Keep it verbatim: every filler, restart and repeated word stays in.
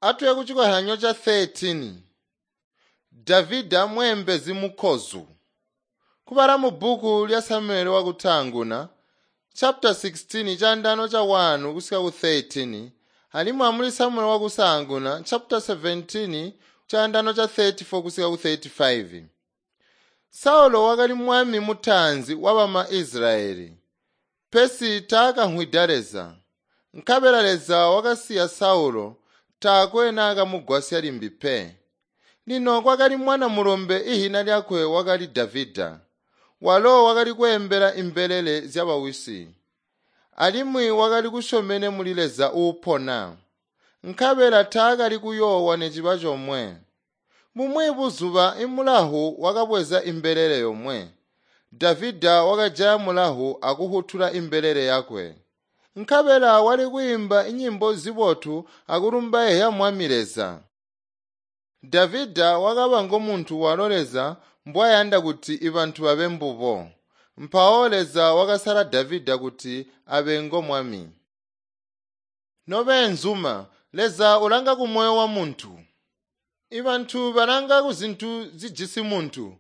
Atuye kucikozyanyo ca thirteen. Davida mweembezi mukkozu. Kubala mu bbuku lya Samuele wakutaanguna chapter sixteen caandaano ca one kusika ku thirteen alimwi amuli Samuele wakusaanguna chapter seventeen caandaano ca thirty-four kusika ku thirty-five. Saulo wakali mwami mutaanzi wabama Israyeli. Pesi taakamvwida Leza. Nkabela Leza wakasiya Saulo, taakwe naakamugwasya limbi pe. Lino kwakali mwana mulombe ihina lyakwe wakali Davida. Walo wakali kweembela imbelele zyabawisi. Alimwi wakali kusyomene muli Leza uupona. Nkabela taakali kuyoowa neciba comwe. Bumwi buzuba imulahu wakabweza imbelele yomwe. Davida wakajaya mulahu akuhutula imbelele yakwe. Nkabela wali kwiimba inyimbo zibotu akulumbaizya Mwami Leza. Davida wakaba ngomuntu walo Leza mbwayanda kuti ibantu babe mbubo. Mpawo Leza wakasala Davida kuti abe ngomwami. Nobeenzuma, Leza ulanga kumoyo wa muntu. Ibantu balanga kuzintu zijisi muntu,